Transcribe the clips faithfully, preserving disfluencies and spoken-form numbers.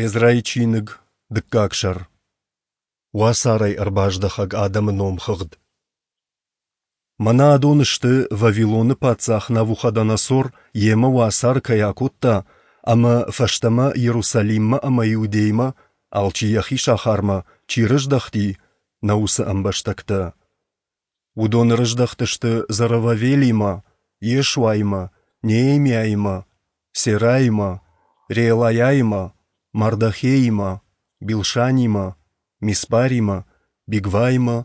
Эзрайы чиныг, дыккаг сӕр. Уацарӕй ӕрбаздӕхӕг адӕмы номхыгъд. Мӕнӕ адон сты, Вавилоны паддзах Навуходоносор йемӕ уацары кӕй акодта ӕмӕ фӕстӕмӕ Иерусалиммӕ ӕмӕ Иудеймӕ, алчи йӕхи сахармӕ, чи рыздӕхти, нӕ уыцы ӕмбӕстӕгтӕ. Уыдон ӕрыздӕхтысты Зоровавелимӕ, Йешуаимӕ, Неемиаимӕ, Сераимӕ, Реелайаимӕ, Мардохеимӕ, Билшанимӕ, Миспаримӕ, Бигваимӕ,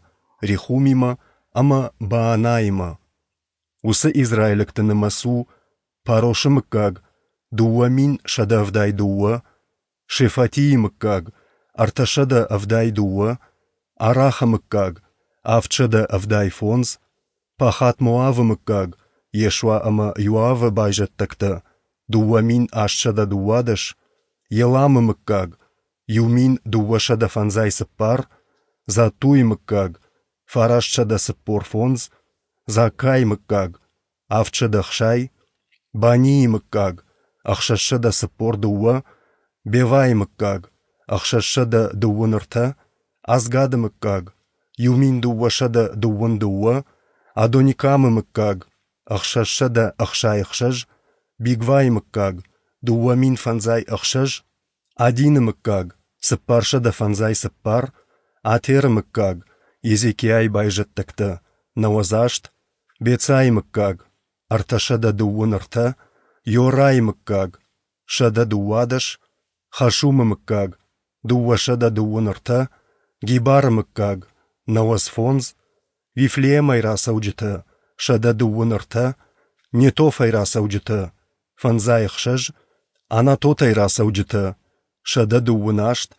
Рехумимӕ ӕмӕ Баанаимӕ. Уыцы израилӕгты нымӕц у: Парошы мыггаг – дыууӕ мин сӕдӕ ӕвдай дыууӕ, Шефатийы мыггаг – ӕртӕсӕдӕ ӕвдай дыууӕ, Арахы мыггаг – авдсӕдӕ ӕвдай фондз, Пахат-Моавы мыггаг, Йешуа ӕмӕ Иоавы байзӕддӕгтӕ – дыууӕ мин астсӕдӕ дыууадӕс, Еламы мыггаг – иу мин дыууӕсӕдӕ фӕндзай цыппар, Заттуйы мыггаг – фарастсӕдӕ цыппор фондз, Заккайы мыггаг – авдсӕдӕ ӕхсай, Банийы мыггаг – ӕхсӕзсӕдӕ цыппор дыууӕ, Бевайы мыггаг – ӕхсӕзсӕдӕ дыууын ӕртӕ, Азгады мыггаг – иу мин дыууӕсӕдӕ дыууын дыууӕ, Адоникамы мыггаг – ӕхсӕзсӕдӕ ӕхсай ӕхсӕз, Бигвайы мыггаг – дыууӕ мин фӕндзай ӕхсӕз, Адины мыггаг – цыппарсӕдӕ фӕндзай цыппар, Атеры мыггаг, Езекиайы байзӕддӕгтӕ – нӕуӕдз аст, Бецайы мыггаг – ӕртӕсӕдӕ дыууын ӕртӕ, Йорайы мыггаг – сӕдӕ дыууадӕс, Хашумы мыггаг – дыууӕсӕдӕ дыууын ӕртӕ, Гибары мыггаг – нӕуӕдз фондз, Вифлеемӕй рацӕуджытӕ – сӕдӕ дыууын ӕртӕ, Нетофӕй рацӕуджытӕ – фӕндзай ӕхсӕз, Анатотӕй рацӕуджытӕ – сӕдӕ дыууын аст,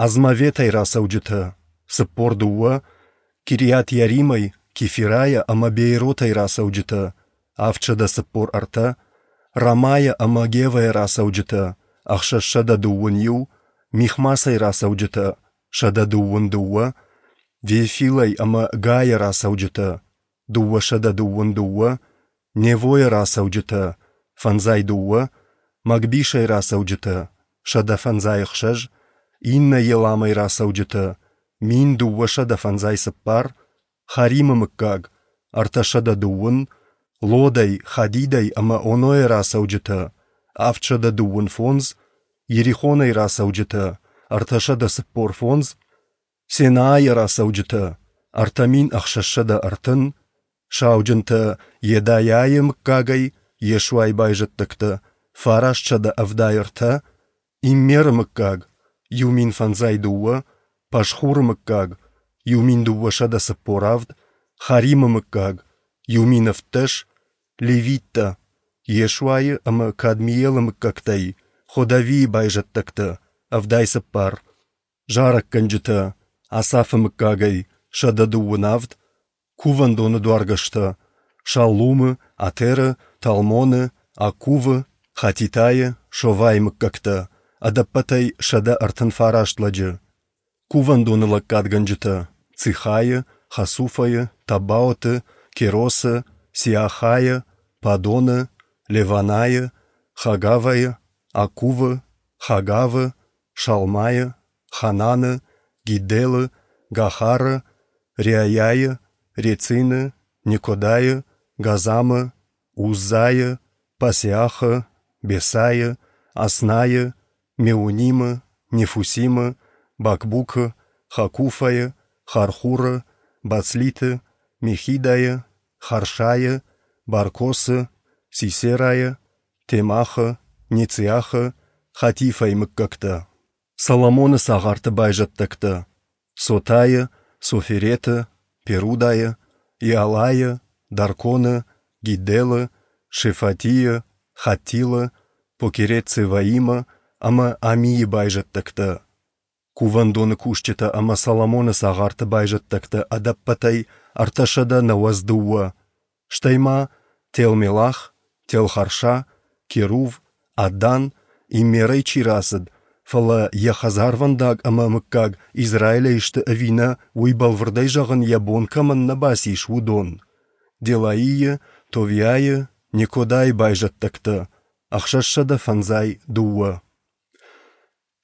Азмаветӕй рацӕуджытӕ – цыппор дыууӕ, Кириат-Иаримӕй, Кефирайӕ ӕмӕ Бееротӕй рацӕуджытӕ – авдсӕдӕ цыппор ӕртӕ, Рамайӕ ӕмӕ Гевӕйӕ рацӕуджытӕ – ӕхсӕзсӕдӕ дыууын иу, Михмасӕй рацӕуджытӕ – сӕдӕ дыууын дыууӕ, Вефилӕй ӕмӕ Гайӕ рацӕуджытӕ – дыууӕсӕдӕ дыууын дыууӕ, Невойӕ рацӕуджытӕ – фӕндзай дыууӕ, Магбишӕй рацӕуджытӕ – сӕдӕ фӕндзай ӕхсӕз, иннӕ Еламӕй рацӕуджытӕ – мин дыууӕсӕдӕ фӕндзай цыппар, Харимы мыггаг – ӕртӕсӕдӕ дыууын, Лодӕй, Хадидӕй ӕмӕ Онойӕ рацӕуджытӕ – авдсӕдӕ дыууын фондз, Иерихонӕй рацӕуджытӕ – ӕртӕсӕдӕ цыппор фондз, Сенаайӕ рацӕуджытӕ – ӕртӕ мин ӕхсӕзсӕдӕ ӕртын, сауджынтӕ Йедайӕйы мыггагӕй Йешуайы байзӕддӕгтӕ – фарастсӕдӕ ӕвдай ӕртӕ, Иммеры мыггаг – иу мин фӕндзай дыууӕ, Пашхуры мыггаг – иу мин дыууӕсӕдӕ цыппор авд, Харимы мыггаг – иу мин ӕвддӕс, Левиттӕ, Йешуайы ӕмӕ Кадмиелы мыггӕгтӕй Ходавийы байзӕддӕгтӕ – ӕвдай цыппар, зарӕггӕнджытӕ Асафы мыггагӕй – сӕдӕ дыууын авд, кувӕндоны дуаргӕстӕ Шаллумы, Атеры, Талмоны, Аккувы, Хатитайы, Шовайы мыггӕгтӕ, ӕдӕппӕтӕй сӕдӕ ӕртын фараст лӕджы. Кувӕндоны лӕггадгӕнджытӕ Цихайы, Хасуфайы, Таббаоты, Керосы, Сиахайы, Падоны, Леванайы, Хагавайы, Аккувы, Хагавы, Шалмайы, Хананы, Гидделы, Гахары, Реайайы, Рецины, Некодайы, Газамы, Уззайы, Пасеахы, Бесайы, Аснайы, Меунимы, Нефусимы, Бакбукы, Хакуфайы, Хархуры, Бацлиты, Мехидайы, Харшайы, Баркосы, Сисерайы, Темахы, Нециахы, Хатифайы мыггӕгтӕ. Соломоны цагъарты байзӕддӕгтӕ: Сотайы, Софереты, Перудайы, Иалайы, Дарконы, Гидделы, Шефатийы, Хаттилы, Покерет-Цеваимы ӕмӕ Амийы байзӕддӕгтӕ. Кувӕндоны кусджытӕ ӕмӕ Соломоны цагъарты байзӕддӕгтӕ ӕдӕппӕтӕй ӕртӕсӕдӕ нӕуӕдз дыууӕ, стӕй ма Телмелах, Телхарша, Керув, Аддан, Иммерӕй чи рацыд, фӕлӕ йӕ хӕдзарвӕндаг ӕмӕ мыггаг Израилӕй сты ӕви нӕ, уый бӕлвырдӕй зӕгъын йӕ бон кӕмӕн нӕ бацис, уыдон: Делаийы, Товиайы, Некодайы байзӕддӕгтӕ, ӕхсӕзсӕдӕ фӕндзай дыууӕ.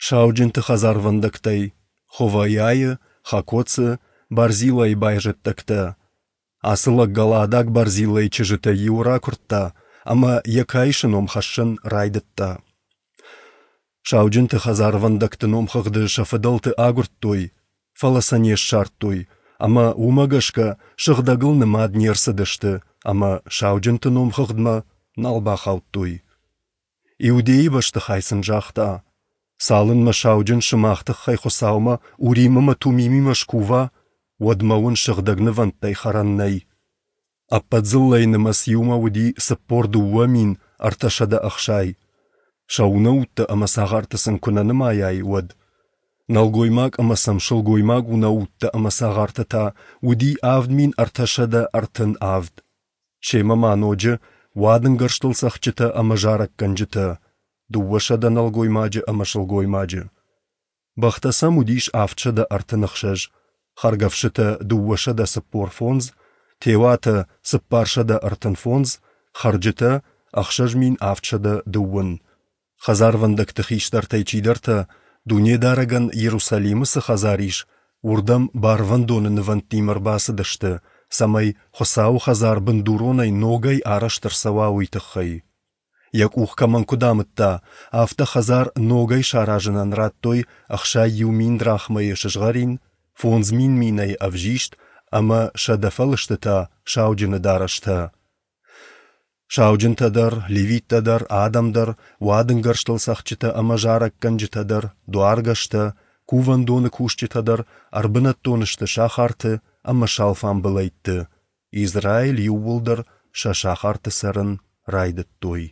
Сауджынты хӕдзарвӕндӕгтӕй Ховаиайы, Хакоцы, Барзилайы байзӕддӕгтӕ. Ацы лӕг галаадаг Барзилайы чызджытӕй иуы ракуырдта ӕмӕ йӕ каисы ном хӕссын райдыдта. Сауджынты хӕдзарвӕндӕгты номхыгъды сӕ фыдӕлты агуырдтой, фӕлӕ сӕ не ссардтой, ӕмӕ уымӕ гӕсгӕ сыгъдӕгыл нымад не рцыдысты ӕмӕ сауджынты номхыгъдмӕ нал бахаудтой. Иудейы бӕстыхай сын загъта: Цалынмӕ сауджын сымах тыххӕй Хуыцаумӕ Урим ӕмӕ Тумимимӕ скува, уӕдмӕ уын сыгъдӕг нывӕндтӕй хӕрӕн нӕй. Ӕппӕт дзыллӕйы нымӕц иумӕ уыди цыппор дыууӕ мин ӕртӕсӕдӕ ӕхсай. Сӕ унӕуттӕ ӕмӕ цагъарты сын куы нӕ нымайай, уӕд. Нӕлгоймаг ӕмӕ сӕм сылгоймаг унӕуттӕ ӕмӕ цагъартӕ та уыди авд мин ӕртӕсӕдӕ ӕртын авд. Семӕ ма ноджы уадынгӕрзтыл цӕгъдджытӕ ӕмӕ зарӕггӕнджытӕ, дыууӕсӕдӕ нӕлгоймаджы ӕмӕ сылгоймаджы. Бӕхтӕ сӕм уыдис авдсӕдӕ ӕртын ӕхсӕз, хӕргӕфсытӕ дыууӕсӕдӕ цыппор фондз, теуатӕ цыппарсӕдӕ ӕртын фондз, хӕрджытӕ ӕхсӕз мин авдсӕдӕ дыууын. Хӕдзарвӕндӕгты хистӕртӕй чидӕртӕ, Дунедарӕгӕн Иерусалимы цы хӕдзар ис, уырдӕм барвӕндоны нывӕндтимӕ ӕрбацыдысты, цӕмӕй Хуыцауы хӕдзар бындуронӕй ногӕй арӕзт ӕрцӕуа, уый тыххӕй. Йӕ къух кӕмӕн куыд амыдта, афтӕ хӕдзар ногӕй саразынӕн радтой ӕхсай иу мин драхмӕйы сызгъӕрин, фондз мин минӕйы ӕвзист ӕмӕ сӕдӕ фӕлыстытӕ сауджыны дарӕстӕ. Сауджынтӕ дӕр, левиттӕ дӕр, адӕм дӕр, уадынгӕрзтыл цӕгъдджытӕ ӕмӕ зарӕггӕнджытӕ дӕр, дуаргӕстӕ, кувӕндоны кусджытӕ дӕр ӕрбынӕттон сты сахарты ӕмӕ сӕ алфамбылӕйтты. Израиль иууылдӕр сӕ сахарты цӕрын райдыдтой.